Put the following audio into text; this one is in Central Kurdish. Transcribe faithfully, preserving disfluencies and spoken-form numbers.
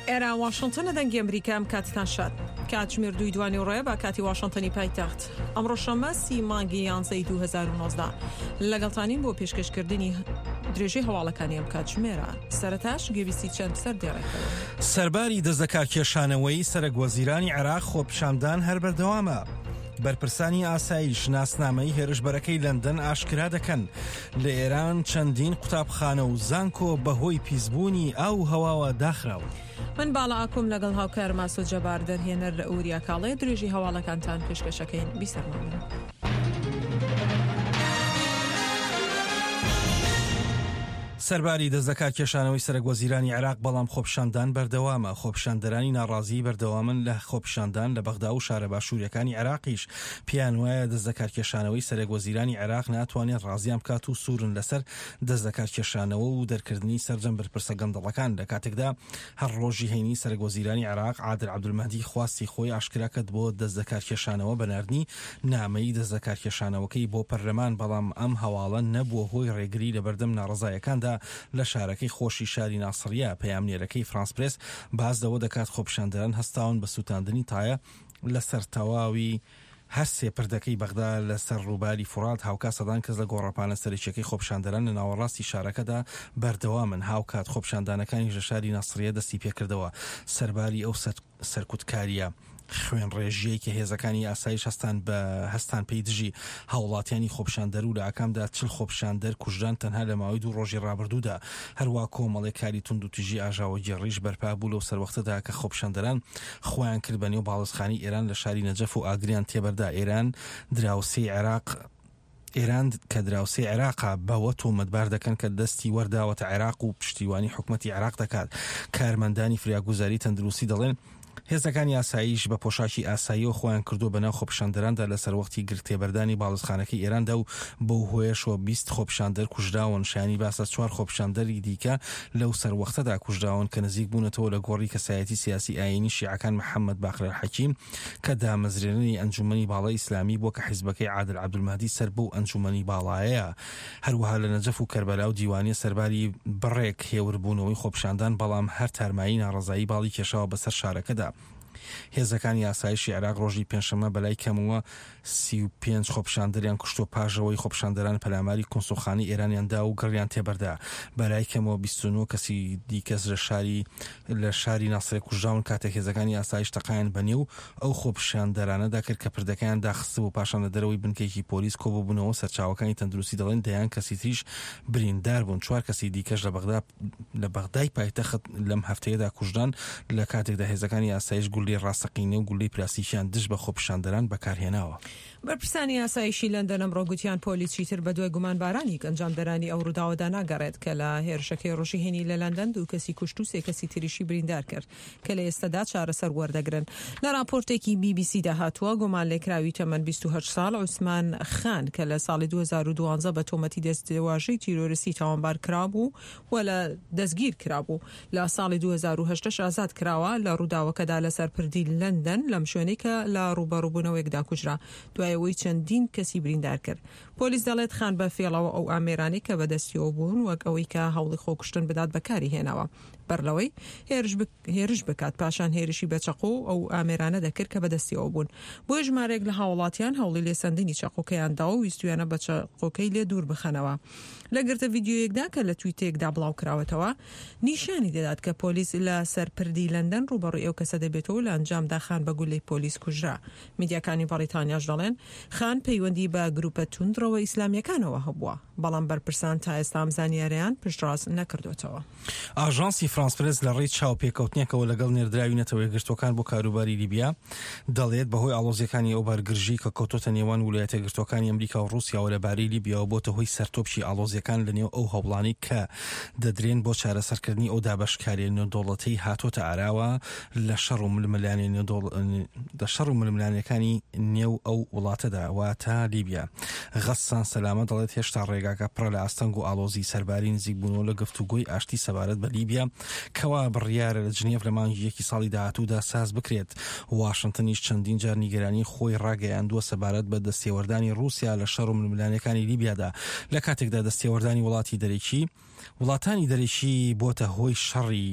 ئێرە واشنتنە، دەنگی ئەمریکا. ئەم کاتتان شاد. کاتژمێر دووی دوانیوەڕۆیە بە کاتی واشنتنی پایتەخت. ئەمڕۆ شەممە سی مانگی یانزەی دوو هەزار و نۆزدە، لەگەڵتانین بۆ پێشکەشکردنی درێژەی هەواڵەکانی ئەم کاتژمێرە. سەرەتاش گوێبیستی چەند سەر دێڕێکەوە. سەرباری دەستلەکارکێشانەوەی سەرەک وەزیرانی عێراق، خۆپیشاندان هەر بەردەوامە. بەرپرسانی ئاسایش ناسنامەی هێرشبەرەکەی لەندەن ئاشکرا دەکەن. لە ئێران چەندین قوتابخانە و زانکۆ بەهۆی پیسبوونی ئاو و هەواوە داخراون. من باڵا ئاکۆم لەگەڵ هاوکار ماسۆ جەبار، دەرهێنەر لە ئوریا کاڵێ، درێژی هەواڵەکانتان پێشکەشەکەین. بیسەرمان بن. سەرباری دەستلەکار کێشانەوەی سەرەک وەزیرانی عێراق، بەڵام خۆپیشاندان بەردەوامە. خۆپیشاندەرانی ناڕازی بەردەوامن لە خۆپیشاندان لە بەغدا و شارە باشووریەکانی عێراقیش. پێیان وایە دەستلەکار کێشانەوەی سەرەک وەزیرانی عێراق ناتوانێت ڕازیان بکات و سوورن لەسەر دەستلەکار کێشانەوە و دەرکردنی سەرجەم بەرپرسە گەندەڵەکان. لە کاتێکدا هەر ڕۆژی هەینی سەرەک وەزیرانی عێراق عادل عەبدولمەهدی خواستی خۆی ئاشکرا کرد بۆ دەستلەکار کێشانەوە بە ناردنی نامەی دەستلەکار کێشانەوەکەی بۆ پەرلەمان، بەڵام ئەم هەواڵە نەبووە هۆی ڕێگری لەبەردەم ناڕەزایەکاندا لە شارەکەی خۆشی شاری ناسڕیە. پەیامنێرەکەی فرانس پرێس باس لەوە دەکات خۆپیشاندەران هەستاون بە سووتاندنی تایە لەسەر تەواوی هەر سێ پردەکەی بەغدا لەسەر ڕووباری فورات. هاوکات سەدان کەس لە گۆڕەپانە سەرەکیەکەی خۆپیشاندەران لە ناوەڕاستی شارەکەدا بەردەوامن. هاوکات خۆپیشاندانەکانیش لە شاری ناسڕیە دەستی پێکردەوە. سەرباری ئەو سەرکوتکاریە خوێنڕێژیەی کە هێزەکانی ئاسایش هەستان بە هەستان پێی دژی هاوڵاتیانی خۆپیشاندەر و لە ئاکامدا چل خۆپیشاندەر کوژران تەنها لە ماوەی دوو ڕۆژی ڕابردوودا، هەروا کۆمەڵێک کاری توندوتیژی ئاژاوەگێڕیش بەرپا بوو لەو سەروەختەدا کە خۆپیشاندەران خۆیان کرد بە نێو باڵیۆزخانەی ئێران لە شاری نەجەف و ئاگریان تێبەردا. ئێران دراوسێی عێراق ئێران کە دراوسێی عێراقە بەوە تۆمەتبار دەکەن کە دەستی وەرداوەتە عێراق و پشتیوانی حکومەتی عێراق دەکات. کارمەندانی فریاگوزاری تەندروستی دەڵێن هێزەکانی ئاسایش بە پۆشاکی ئاساییەوە خۆیان کردووە بەناو خۆپیشاندەراندا لە سەروەختی گرتێبەردانی باڵیۆزخانەکەی ئێراندا و بەو هۆیەشەوە بیست خۆپیشاندەر کوژراون. شایانی باسە چوار خۆپیشاندەری دیکە لەو سەروەختەدا کوژراون کە نزیک بوونەتەوە لە گۆڕی کەسایەتی سیاسی ئایینی شیعەکان محەممەد باقر ئەلحەکیم کە دامەزرێنەری ئەنجومەنی باڵای ئیسلامی بووە کە حیزبەکەی عادل عەبدولمەهدی سەر بەو ئەنجومەنی باڵایەیە. هەروەها لە نەجەف و کەربەلا و دیوانیە سەرباری بڕێک هێوربوونەوەی خۆپیشاندان، بەڵام هەر تارمایی ناڕەزایی باڵی کێشاوە بەسەر شارەکەدا. هێزەکانی ئاسایشی عێراق ڕۆژی پێنجشەممە بەلای کەمەوە سی و پێنج خۆپیشاندەریان کوشتووە پاش ئەوەی خۆپیشاندەران پەلاماری کونسوڵخانەی ئێرانیان دا و گڕیان تێبەردا. بەلای کەمەوە بیست و نۆ کەسی دیکەس لە شاری لە شاری ناسرێ کوژراون کاتێک هێزەکانی ئاسایش تەقایان بەنێو ئەو خۆپیشاندەرانەدا کرد کە پردەکەیان داخستبوو، پاشان لە دەرەوەی بنکەیەکی پۆلیس کۆببوونەوە. سەرچاوەکانی تەندروستی دەڵێن دەیان کەسی تریش بریندار بوون. چوار کەسی دیکەش لە بەغدا لە بەغدای پایتەخت لەم هەفتەیەدا کوژران لە کاتێکدا هێزەکانی ئاسایش گولەی ڕاستەقینە و گولەی پلاستیکیان دژ بە خۆپیشاندەران بەکارهێناوە. بەرپرسانی ئاسایشی لەندەن ئەمڕۆ گوتیان پۆلیس چیتر بەدوای گومانبارانی ئەنجامدەرانی ئەو ڕووداوەدا ناگەڕێت کە لە هێرشەکەی ڕۆژی هەینی لە لەندەن دوو کەسی کوشت و سێ کەسی تریشی بریندار کرد کە لە ئێستادا چارەسەر وەردەگرن. لە راپۆرتێکی بی بی سی دا هاتووە گومانلێکراوی تەمەن بیست و هەشت ساڵ عوسمان خان کە لە ساڵی دوو هەزار و دوازدە بە تۆمەتی دەستێواژەی تیرۆریستی تاوانبار کرابوو و لە دەستگیر کرابوو لە ساڵی دوو هەزار و هەژدە ئازاد کراوە، لە ڕووداوەکەدا لەسەر پردی لەندەن لەم شوێنەی کە لە ڕووبەڕووبوونەوەیەکدا کوژرا دوای ئەوەی چەندین کەسی بریندار کرد. پۆلیس دەڵێت خان بە فێڵەوە ئەو ئامێرانەی کە بەدەستیەوە بوون وەک ئەوەی کە هەوڵی خۆکوشتن بدات بەکاری هێناوە بەر لەوەی هێرش بکات، پاشان هێرشی بە چەقۆ ئەو ئامێرانە دەکرد کە بەدەستیەوە بوون. بۆیە ژمارەیەک لە هاوڵاتیان هەوڵی لێسەندنی چەقۆکەیان دا و ویستویانە بە چەقۆکەی لێ دوور بخەنەوە. لە گرتە ڤیدیۆیەکدا کە لە تویتێکدا بڵاو کراوەتەوە نیشانی دەدات کە پۆلیس لە سەر پردی لەندەن ڕووبەڕووی ئەو کەسە دەبێتەوە، لە ئەنجامدا خان بە گولەی پۆلیس کوژرا. میدیاکانی بەڕیتانیاش دەڵێن خان پەیوەندی بە گروپە توندڕەوە ئیسلامیەکانەوە هەبووە، بەڵام بەرپرسان تا ئێستا ئەم زانیاریان پشتڕاست نەکردوێتەوە. ئاژانسی فرانس پرێس لە ڕێی چاوپێکەوتنێکەوە لەگەڵ نێردراوی نەتەوە یەکگرتووەکان بۆ کاروباری لیبیا دەڵێت بەهۆی ئاڵۆزیەکانی ئەو بارگرژی کە کەوتۆتە نێوان ویلایەتە یەکگرتووەکانی ئەمریکا و ڕووسیاوە لەبارەی لیبیاوە بۆتە هۆی سەرتۆپکی ئاڵۆزیەکان لە نێو ئەو هەوڵانەی کە دەدرێن بۆ چارەسەرکردنی ئەو دابەشکاریە نێودەوڵەتیەی هاتۆتە ئاراوە لە شەڕ و ململانێ لە شەڕ و ململانێکانی نێو ئەو وڵاتەدا، واتە لیبیا. غەسان سەلامە دەڵێت هێشتا ڕێگاکە پڕە لە ئاستەنگ و ئاڵۆزی سەرباری نزیکبوونەوە لە گفتوگۆی ئاشتی سەبارەت بە لیبیا کەوا بڕیارە لە جنێف لە مانگی یەکی ساڵی داهاتوودا ساز بکرێت. واشنتنیش چەندین جار نیگەرانی خۆی ڕاگەیاندووە سەبارەت بە دەستێوەردانی ڕووسیا لە شەڕ و ململانێکانی لیبیادا، لە کاتێکدا دەستێوەردانی وڵاتی دەرەکی وڵاتانی دەرەکی بۆتە هۆی شەڕی